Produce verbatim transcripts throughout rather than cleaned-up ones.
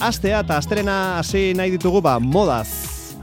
astea eta asterena hasi nahi ditugu ba modaz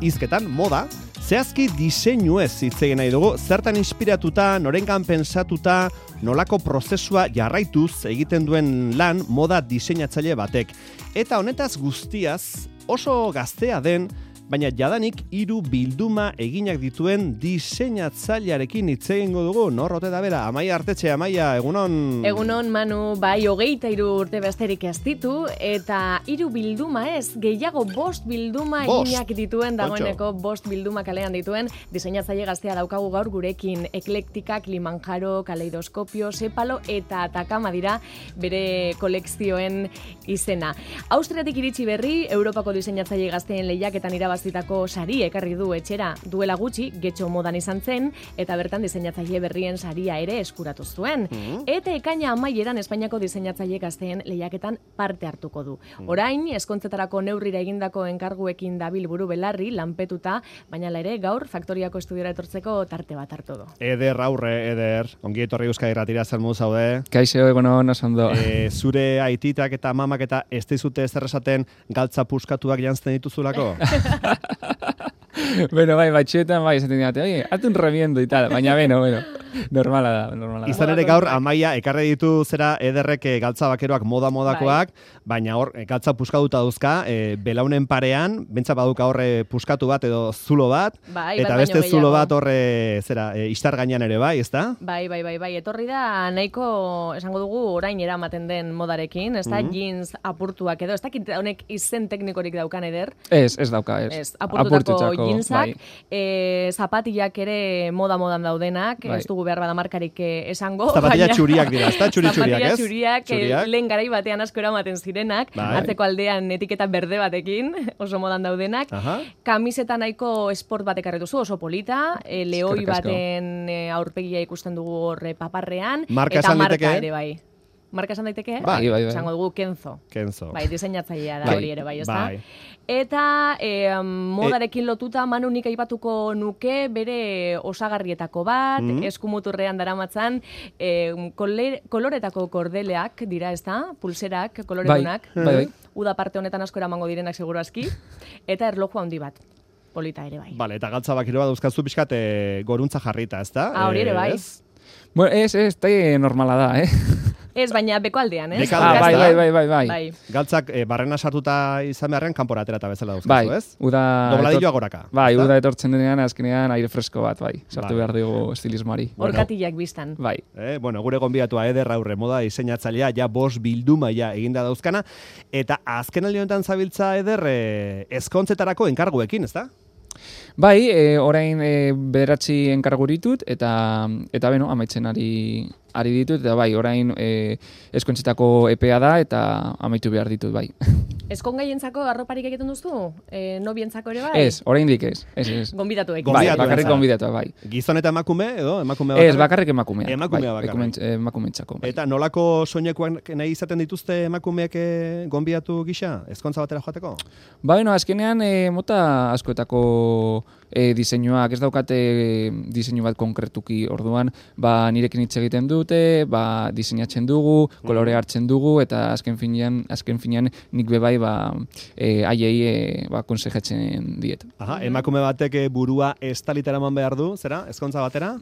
hizketan, moda. Zehazki diseinuez hitz egin nahi dugu, zertan inspiratuta, norengan pensatuta, nolako prozesua jarraituz egiten duen lan moda diseinatzaile batek. Eta honetaz guztiaz oso gaztea den, baina jadanik hiru bilduma eginak dituen diseinatzailearekin hitz egingo dugu. Nor ote da bera? Amaia Artetxe, Amaia, egunon. Egunon, Manu, bai, hogeita hiru urte besterik ez ditu, eta hiru bilduma ez, gehiago bost bilduma bost. eginak dituen, dagoeneko bost bilduma kalean dituen, diseinatzaile gaztea daukagu gaur gurekin. Eklektika, Kilimanjaro, Kaleidoskopio, Sepalo eta Atakama dira bere kolekzioen izena. Austriatik iritsi berri, Europako diseinatzaile gazteen lehiaketan irabaz zitako sari ekarri du etxera duela gutxi, Getxo modan izan zen, eta bertan diseinatzaile berrien saria ere eskuratu zuen. Mm-hmm. Eta ekaina amaieran Espainiako diseinatzaile gazteen lehiaketan parte hartuko du. Orain, eskontzetarako neurrira egindako enkarguekin dabil buru belarri, lanpetuta, baina ere gaur faktoriako estudiora etortzeko tarte bat hartu du. Eder, aurre, Eder, ongi etorri Euskadi Irratira, zer modu zaude? Kaixo, egunon, oso ondo. E, zure aititak eta mamak eta ez dizute ezer esaten galtza puskatuak janzten dituzulako? Bueno, bai, batxetan, bai, esaten dira, oye, hazte un reviendo y tal, baina, bueno, bueno, normala da, normala da. Izan ere gaur, Amaia, ekarri ditu zera Ederrek galtza bakeroak moda-modakoak, bai. Baina hor, galtza puskatuta duzka, e, belaunen parean, bentsa baduka horre puskatu bat edo zulo bat, bai, eta bai, beste zulo bat horre, zera, e, istar gainean ere bai, ezta? Bai, bai, bai, bai, etorri da nahiko, esango dugu, orain eramaten den modarekin, ez da, mm-hmm. jeans apurtuak edo, ez dakit honek izen teknikorik daukan Eder? Ez, ez dauka, ez. Ez, apurtutako jeansak, bai. e, zapatillak ere moda-modan daudenak, bai. Ez dugu behar bada markarik esango. Zapatilla txuriak dira, ez da? Txuri txuriak, ez? Zapatilla txuriak, lehen garai batean asko eramaten zirenak, bai. Atzeko aldean etiketa berde batekin, oso modan daudenak. Aha. Kamiseta nahiko sport batek arretu zu, oso polita, e, lehoi baten e, aurpegia ikusten dugu horre paparrean, marka eta marka liteke? Ere bai. Marka esan daiteke? Bai, bai, bai. Esango dugu Kenzo. Kenzo. Bai, diseinatzailea da bai. hori ere bai, ezta? Bai. Eta e, modarekin lotuta Manu nik aipatuko nuke bere osagarrietako bat, mm-hmm. eskumuturrean daramatzan, e, kolere, koloretako kordeleak dira, ezta? Pulserak, koloredunak. Bai, bai, bai. Uda parte honetan asko eramango direnak seguru aski. Eta erloju handi bat. Polita ere bai. Vale, eta galtza bakiro bat dauzkazu pixkat e, goruntza jarrita, ezta? Ah, hori ere bai. Ez? Bueno, ez, ez, tai normala da, eh? Ez, baina beko aldean, ez? Ah, bai, bai, bai, bai, bai. bai. Galtzak e, barrena sartuta izan beharren kanpora aterata bezala dauzkazu, bai, ez? Uda dobladilloa goraka. Bai, uda etortzen denean, azkenean aire fresko bat, bai. Sartu bai. behar dugu estilismoari. Orkatillak biztan. Bai. Eh, bueno, gure gonbidatua Eder aurre moda diseinatzailea, ja bost bilduma ja eginda dauzkana, eta azken aldi honetan zabiltza Eder e, ezkontzetarako enkarguekin, ezta? Bai, e, orain e, bederatzi enkargu ditut, eta, eta beno, amaitzen ari, ari ditut, eta bai, orain e, eskontzetako epea da, eta amaitu behar ditut, bai. Eskongaientzako arroparik egiten duzu? E, nobientzako ere bai? Ez, oraindik ez, ez, ez. Gonbidatuek. Bai, bakarrik gonbidatua, bai. Gizon eta emakume, edo? Emakume bakarrik? Ez, bakarrik emakumea. Emakumea bai, bakarrik. Emakumentzako. Bai. Eta nolako soinekoak nahi izaten dituzte emakumeek gonbidatu gisa? Ezkontza batera joateko? Ba, bueno, azkenean e, mota askoetako e, diseinuak, ez daukate diseinu bat konkretuki orduan, ba, nirekin hitz egiten dute, ba, diseinatzen dugu, kolore hartzen dugu, eta azken finean, azken finean nik bebai ba, e, aiei e, ba, konsejatzen diet. Aha, emakume batek burua estalitara eman behar du, zera, ezkontza batera?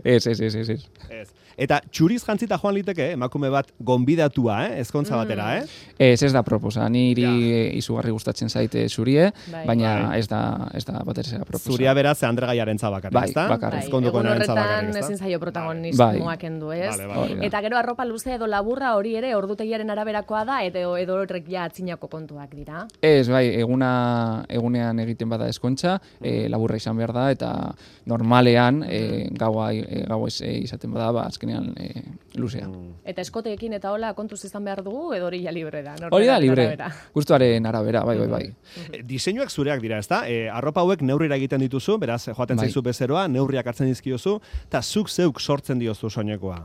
ez, ez, ez, ez, ez. Ez. Eta txuriz jantzita joan liteke, emakume bat gonbidatua, eh? Ezkontza batera, eh? Ez, ez da proposa. Niri ja. izugarri gustatzen zaite zurie, bai. baina bai. ez da, ez da batera proposa. Zuria beraz, Andre Gaiaren zabakarrik, bai, ezta? Bakarrik. Bai, egun horretan ezin zaio protagonismoak endu, ez? Vale, vale. Eta gero arropa luze edo laburra hori ere ordutegiaren araberakoa da, edo edo horrek ja atzinako kontuak dira. Ez, bai, eguna, egunean egiten bada eskontza, e, laburra izan behar da, eta normalean, e, gaua, e, gaua ez, e, izaten bada, ba, azkenean e, luzea. Eta eskoteekin eta hola kontuz izan behar dugu, edo hori ja libre da? Hori da libre, gustuaren arabera, bai, bai, bai. E, diseinuak zureak dira, ezta? E, arropa hauek neurrira egiten dituzu, beraz, joaten bai. zaizu bezeroa, neurriak hartzen dizkiozu, eta zuk zeuk sortzen diozu soinekoa.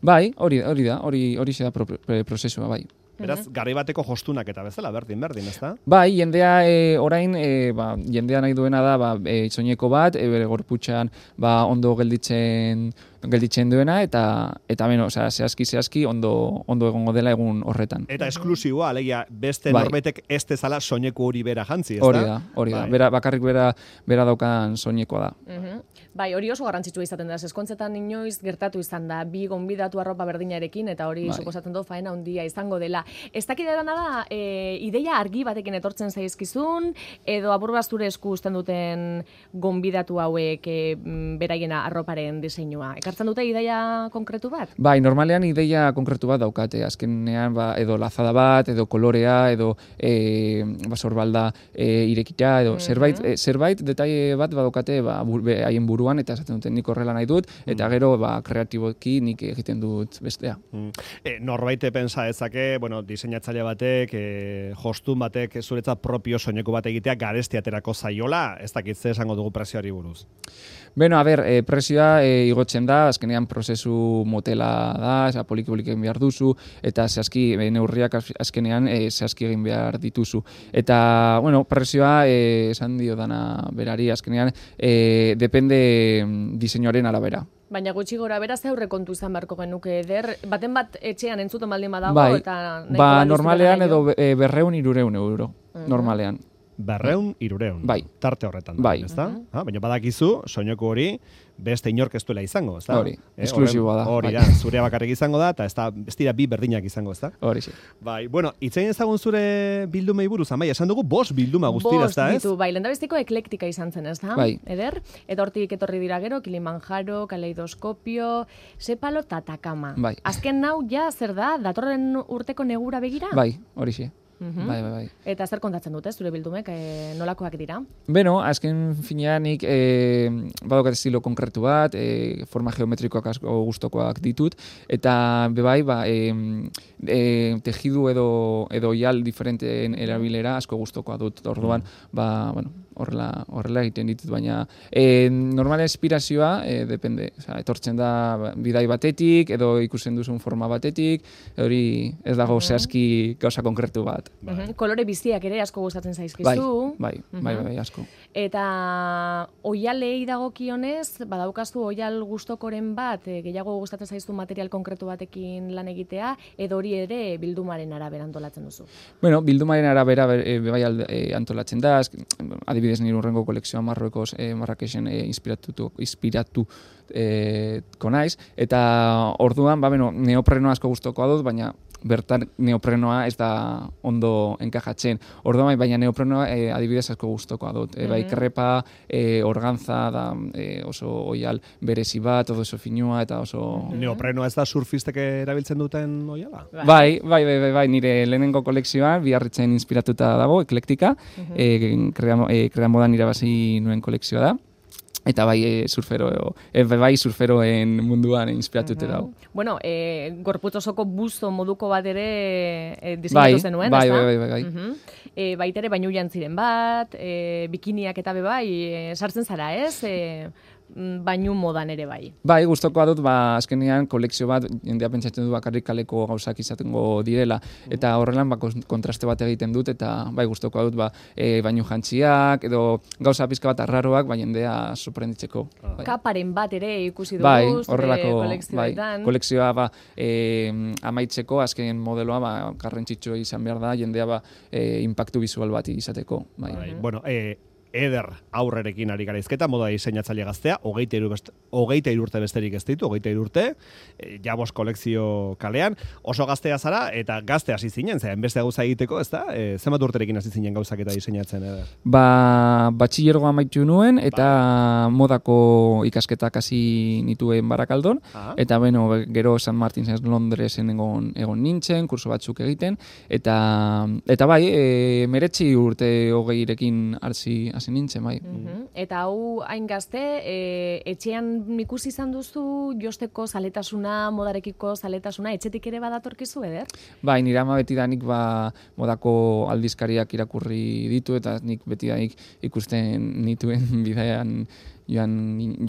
Bai, hori, hori da, hori hori da pro, pro, prozesua, bai. Beraz, garai bateko jostunak eta bezala, berdin, berdin, ezta? Bai, jendea e, orain, e, ba, jendea nahi duena da, ba, e, soineko bat, e, bere gorputxan ba, ondo gelditzen gelditzen duena, eta, eta beno, osea, zehazki, zehazki, ondo, ondo egongo dela egun horretan. Eta esklusiboa, alegia, beste bai. norbetek ez dezala soineku hori bera jantzi, ezta? Hori da, hori da. Bai. Bera, bakarrik bera, bera daukan soinekoa da. Mhm. Bai, hori oso garrantzitsua izaten da. Eskontzetan inoiz gertatu izan da, bi gonbidatu arropa berdinarekin, eta hori Bai. suposatzen du faena handia izango dela. Ez dakidera da, e, ideia argi batekin etortzen zaizkizun, edo aburbazture esku uzten duten gonbidatu hauek e, beraiena arroparen diseinua. Ekartzen dute ideia konkretu bat? Bai, normalean ideia konkretu bat daukate. Azkenean, ba, edo lazada bat, edo kolorea, edo e, basorbalda e, irekita, edo Mhm. zerbait, e, zerbait detaile bat badaukate ba, bur, be, haien buruan, eta esaten duten nik horrela nahi dut, eta gero ba, kreatiboki nik egiten dut bestea. Mm. E, norbaite pensa dezake, bueno, diseinatzaile batek, e, jostun batek zuretzat propio soineku bat egitea garesti aterako zaiola, ez dakit ze esango dugu presioari buruz. Beno, a ber, e, presioa e, igotzen da, azkenean prozesu motela da, eza, poliki-poliki egin behar duzu, eta zehazki e, neurriak az- azkenean e, zehazki egin behar dituzu. Eta, bueno, presioa e, esan dio dana berari, azkenean e, depende mm, diseinuaren arabera. Baina gutxi gora bera ze aurrekontu izan beharko genuke eder, baten bat etxean entzuten baldin badago, Bai, eta nahiko ba, da luztura normalean nahi edo jo. e, berreun irureun euro, normalean. Berreun, irureun. Bai. Tarte horretan. da, Bai. ezta? Ah, baina badakizu, soineku hori, beste inork ez duela izango, ezta? Hori, Eh, esklusiboa horren- da, Hori bai. da, zurea bakarrik izango da, eta ez da, ez dira bi berdinak izango, ezta? Hori sí. Bai, bueno, itzein ezagun zure bildumei buruz, amai, esan dugu bost bilduma guztira, Bost ezta, ez? ditu, bai, lehendabiziko eklektika izan zen, ez da? Bai. Eder, eta hortik etorri dira gero, Kilimanjaro, Kaleidoskopio, Sepalo eta Atakama. Bai. Azken nau, ja, zer da, datorren urteko negura begira? Bai, hori sí. Mhm. Bai, bai, bai. Eta zer kontatzen dute, zure bildumek, e, nolakoak dira? Beno, azken finean nik e, badaukat estilo konkretu bat, e, forma geometrikoak asko gustokoak ditut, eta bebai, ba, e, e, tejidu edo, edo oial diferenteen erabilera asko gustokoa dut. Orduan, ba, bueno, horrela, horrela egiten ditut, baina e, normala inspirazioa, e, depende, osea, etortzen da bidai batetik, edo ikusten duzun forma batetik, hori ez dago zehazki gauza konkretu bat. Mhm. Kolore biziak ere asko gustatzen Bai, zaizkizu. bai, bai, bai, bai, asko. Eta oialei dagokionez, badaukazu oial gustokoren bat, e, gehiago gustatzen zaizu material konkretu batekin lan egitea, edo hori ere bildumaren arabera antolatzen duzu. Bueno, bildumaren arabera e, bai alde, e, antolatzen da, azk, adibidez nire urrengo kolekzioa Marruekos, e, Marrakexen e, inspiratu, inspiratu e, konaiz, eta orduan, ba, beno, neopreno asko gustokoa dut, baina bertan neoprenoa ez da ondo enkajatzen. Orduan, baina neoprenoa e, adibidez asko gustokoa dut. E, bai, krepa, e, organtza, da e, oso oial berezi bat, oso finua eta oso... Neoprenoa ez da surfistek erabiltzen duten oiala? Bai, bai, bai, bai, bai, nire lehenengo kolekzioan Biarritzen inspiratuta dago, eklektika, e, krea, e, krea modan irabazi nuen kolekzioa da. Eta bai e, surfero, e, bai surferoen munduan inspiratute dago. Bueno, e, gorputz osoko busto moduko bat ere e, diseinatu Bai, zenuen, bai, ezta? bai, bai, bai, bai. Mhm. E, baitere bainu jantziren bat, e, bikiniak eta be bai, e, sartzen zara, ez? E, bainu modan ere bai. Bai, gustokoa dut, ba, azkenean kolekzio bat, jendea pentsatzen du bakarrik kaleko gauzak izatengo direla, eta horrelan ba, kontraste bat egiten dut, eta bai, gustokoa dut, ba, e, bainu jantziak, edo gauza pizka bat arraroak, ba, jendea sorprenditzeko. Bai. Kaparen bat ere ikusi dugu, Bai, zure horrelako, bai, kolekzioetan. kolekzioa ba, e, amaitzeko, azken modeloa ba, garrantzitsua izan behar da, jendea ba, e, impactu visual bat izateko. Bai. Bai, bueno, e, eder aurrerekin ari gara izketa, moda diseinatzaile gaztea, hogeita hiru best, hogeita hiru urte besterik ez ditu, hogeita hiru urte, e, jabos kolekzio kalean, oso gaztea zara, eta gazte hasi zinen, zean beste gauza egiteko, ez da? E, zenbat urterekin hasi zinen gauzak eta diseinatzen, eder? Ba, batxillergoa amaitu nuen, eta modako ikasketak hasi nituen Barakaldon, Ah. eta beno, gero San Martinsen Londresen egon, egon nintzen, kurso batzuk egiten, eta, eta bai, e, meretzi urte hogeirekin hasi hasi nintzen, bai. Mhm. Eta hau hain gazte, e, etxean ikusi izan duzu josteko zaletasuna, modarekiko zaletasuna, etxetik ere badatorkizu, eder? Bai, nire ama betidanik ba, modako aldizkariak irakurri ditu, eta nik betidanik ikusten nituen bidean joan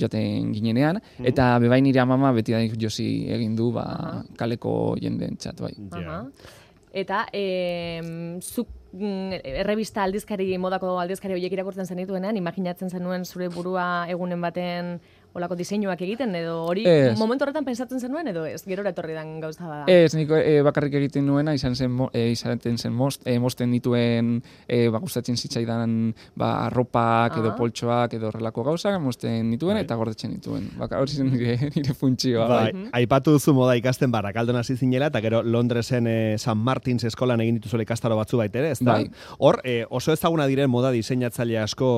joaten ginenean, eta bebai nire amama betidanik josi egin du ba, kaleko jendeen txat, bai. Aha. Eta e, zuk errebista aldizkari, modako aldizkari horiek irakurtzen zenituenean, imaginatzen zenuen zure burua egunen baten olako diseinuak egiten, edo hori ez. Momentu horretan pensatzen zenuen, edo ez, gerora etorri dan gauza da? Ez, nik e, bakarrik egiten nuena, izan zen, e, izaten zen most, e, mosten dituen, e, ba, gustatzen zitzaidan, ba, arropak, edo ah. poltsoak, edo horrelako gauzak, mosten dituen, bai. Eta gordetzen dituen. Baka, hori zen nire, nire funtzioa. Bai, bai. Aipatu duzu moda ikasten Barrakaldon hasi zinela, eta gero Londresen e, San Martins eskolan egin dituzuela ikastaro batzu baitere, ezta? Bai. Hor, e, oso ezaguna diren moda diseinatzaile asko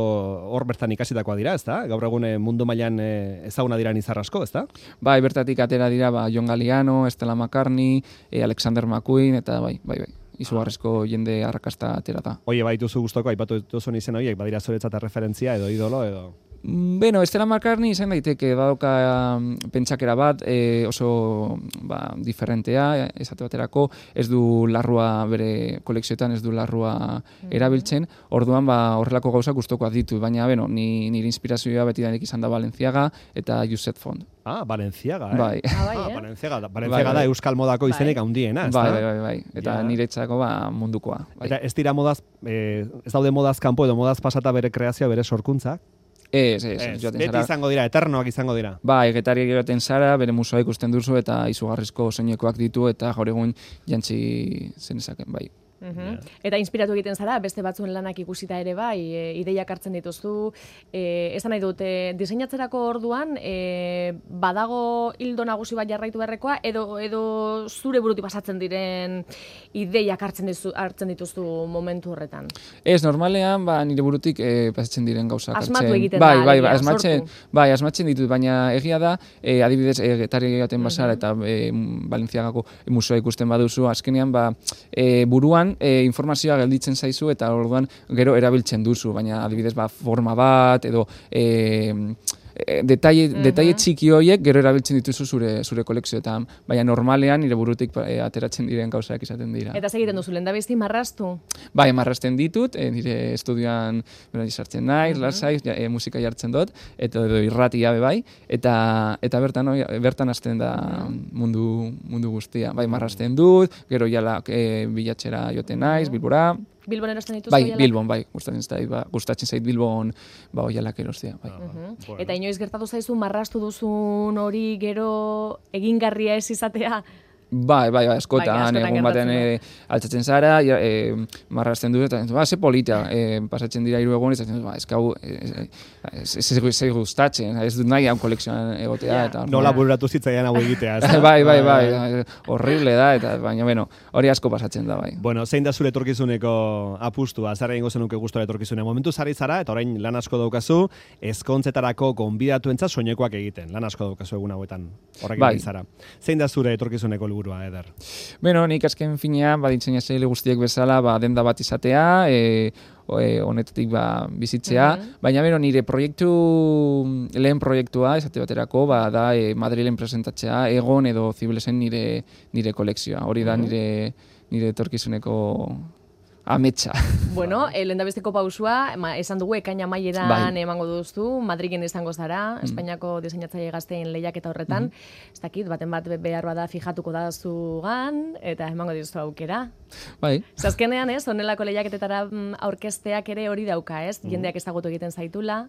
hor bertan ikasitakoa dira, ezta? Gaur egun e, mundu mailan e, ezaguna dira nizar asko, ezta? Bai, bertatik atera dira, ba, John Galliano, Stella McCartney, e, Alexander McQueen, eta bai, bai, bai. Izugarrizko jende arrakasta atera da. Oie, baituzu gustoko, aipatu duzun izen horiek, badira zuretzat referentzia edo idolo edo... Bueno, Stella McCartney izan daiteke, badauka um, pentsakera bat, e, oso ba, diferentea, esate baterako, ez du larrua bere kolekzioetan, ez du larrua mm-hmm. erabiltzen, orduan ba, horrelako gauzak gustokoak ditu, baina beno, ni, nire inspirazioa beti danik izan da Balenciaga eta Josep Font. Ah, Balenciaga, eh? Bai. Ah, bai, ah, eh? Balenciaga, Balenciaga bai, da bai. euskal modako izenek bai. handiena, ez Bai, da? bai, bai, bai. Eta ja. niretzako ba, mundukoa. Bai. Eta ez dira modaz, eh, ez daude modaz kanpo edo modaz pasata bere kreazioa, bere sorkuntzak? Ez, ez, Ez, joaten beti zara. izango dira, eternoak izango dira. Ba, egetari joaten zara, bere musoa ikusten duzu eta izugarrizko soinekoak ditu eta gaur egun jantzi zenezaken, bai. Uhum. Yeah. Eta inspiratu egiten zara, beste batzuen lanak ikusita ere bai, e, ideiak hartzen dituzu, e, esan nahi dute, diseinatzerako orduan, e, badago hildo nagusi bat jarraitu beharrekoa, edo, edo zure burutik pasatzen diren ideiak hartzen, dizu, hartzen dituzu momentu horretan? Ez, normalean, ba, nire burutik e, pasatzen diren gauzak hartzen. Asmatu egiten bai, da, bai, alegia, bai, asmatzen, sortu. bai, asmatzen ditut, baina egia da, e, adibidez, e, getari egaten bazara eta e, Balenciagako musoa ikusten baduzu, azkenean, ba, e, buruan, E, informazioa gelditzen zaizu eta orduan gero erabiltzen duzu, baina adibidez ba, forma bat edo e, e, detaile, uh-huh. detaile txiki horiek gero erabiltzen dituzu zure zure kolekzioetan, baina normalean nire burutik e, ateratzen diren gauzak izaten dira. Eta segiten duzu, lehendabizi marraztu? Bai, marrazten ditut, e, nire estudioan bera sartzen naiz, uh-huh. lasai, ja, e, musika jartzen dut, eta edo irratia be bai, eta eta bertan oi, bertan hasten da mundu mundu guztia. Bai, marrazten dut, gero jala e, bilatzera joten naiz, Bilbora. Bilbon erosten dituzu? Bai, oialak? Bilbon, bai, gustatzen zait, ba, gustatzen zait Bilbon, ba, oialak erostea, bai. Uh-huh. Bueno. Eta inoiz gertatu zaizu marraztu duzun hori gero egingarria ez izatea? Bai, bai, bai, askotan, bai, askotan egun baten e, altzatzen zara, ja, e, marrazten dut, eta ba, ze polita, e, pasatzen dira hiru egun, eta ba, ez gau, ez gustatzen, ez dut nahi hau kolekzioan egotea. Yeah. Eta, Nola bururatu zitzaidan hau egitea, ez da? bai, bai, bai, horrible da, eta baina, bueno, hori asko pasatzen da, bai. Bueno, zein da zure etorkizuneko apustua, zer egingo zenuke gustora etorkizune. Momentu zari zara, eta orain lan asko daukazu, ezkontzetarako gonbidatuentzat soinekoak egiten, lan asko daukazu egun hauetan, horrekin bai. zara. Zein da zure etorkizuneko helburua, Eder? Beno, nik azken finean, ba, diseinatzaile guztiek bezala, ba, denda bat izatea, e, e, honetatik ba, bizitzea, uh-huh. baina beno, nire proiektu, lehen proiektua, esate baterako, ba, da e, Madrilen presentatzea, Egon edo Ziblesen nire, nire kolekzioa. Hori da uh-huh. nire, nire etorkizuneko ametsa. Bueno, eh, lehendabesteko pausua, ma, esan dugu ekaina amaieran bai. Emango duzu, Madrilen izango zara, mm. Espainiako diseinatzaile gazteen lehiaketa horretan, mm. ez dakit, baten bat behar bada fijatuko da zugan, eta emango dizu aukera. Bai. Zazkenean, ez, honelako lehiaketetara aurkezteak ere hori dauka, ez, mm. jendeak ezagutu egiten zaitula.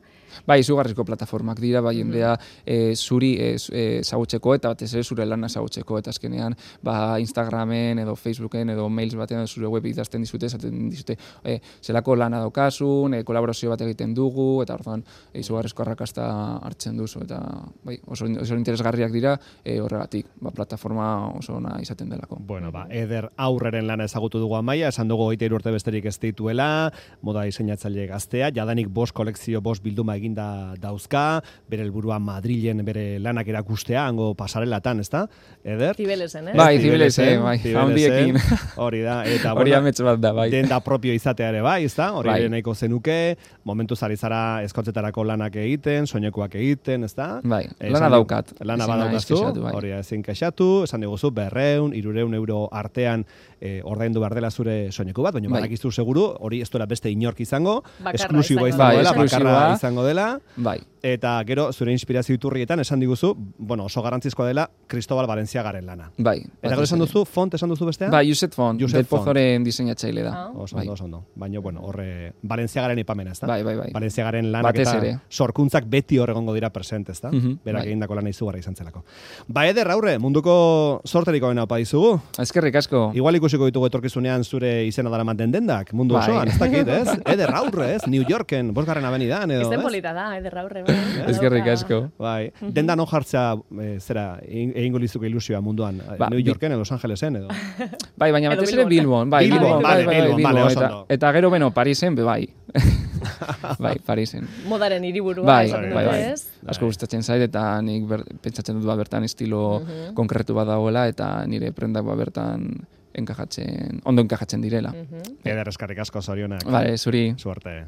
Bai, izugarrizko plataformak dira, bai, jendea mm. e, zuri ezagutzeko e, eta batez ere zure lana ezagutzeko, eta azkenean, ba, Instagramen edo Facebooken edo mails batean zure web idazten dizute, dizute, e, zelako lana daukasun, e, kolaborazio bat egiten dugu, eta orduan e, izugarrizko arrakasta hartzen duzu, eta bai, oso, oso interesgarriak dira e, horregatik, ba, plataforma oso ona izaten delako. Bueno, ba, Eder aurreren lana ezagutu dugu Amaia, esan dugu hogeita hiru urte besterik ez dituela, moda diseinatzaile gaztea, jadanik bost kolekzio, bost bilduma eginda dauzka, bere helburua Madrilen bere lanak erakustea, hango pasarelatan, ezta? Eder? Zibelesen, eh? Bai, Zibelesen, bai, handiekin. Hori da, eta hori bueno, amets bat da, bai. denda propio izatea ere bai, ezta? Hori bai. nahiko zenuke, momentu zari zara eskontzetarako lanak egiten, soinekoak egiten, ezta? Bai, e, lana daukat. Lana badaukazu, hori bai. ezin kexatu, esan diguzu, berreun, irureun euro artean e, ordaindu behar dela zure soineku bat, baina bai. badakizu seguru, hori ez duela beste inork izango, esklusiboa izango, bai, dela, esklusiboa. bakarra izango dela, bai. eta gero zure inspirazio iturrietan esan diguzu, bueno, oso garrantzizkoa dela Cristobal Balenciagaren lana. Bai. Eta gero esan duzu, font esan duzu bestea? Bai, Josep Font, Josep Del Pozoren diseinatzaile da. Ah. Oso Bai. ondo, oso ondo. Baina, bueno, horre, Balenciagaren ipamena, ez da? Bai, bai, bai. Balenciagaren lanak Batez eta ere. sorkuntzak beti hor egongo dira presente, ez da? Mhm, Berak bai. egindako lana izugarra izan zelako. Ba, Eder, aurre, munduko sorteriko bena opa dizugu. Eskerrik asko. Igual ikusiko ditugu etorkizunean zure izena dara manten dendak, mundu Bai. osoan, ez dakit, ez? Eder aurre, ez? New Yorken, bosgarren abenidan, edo, Izten ez? polita da, eder aurre. bai. Eskerrik asko. Bai, denda non jartzea, e, zera, egin- egingo lizuke ilusioa munduan, Ba, New bi- Yorken, edo Los Angelesen, edo. Bai, baina Edo batez ere Bilbon. Bilbon. Bai, Bilbon, Bilbon, vale, bai, bai, Bilbon, vale, oso eta, ondo. eta gero, beno, Parisen, be bai. Bai, Parisen. Modaren hiriburua, Bai, esaten bai, dute, bai. ez? Asko gustatzen zait, eta nik ber, pentsatzen dut ba bertan estilo konkretu bat dagoela, eta nire prendak ba bertan enkajatzen, ondo enkajatzen direla. Eder, eskarrik asko, zorionak. Vale, zuri. Suerte.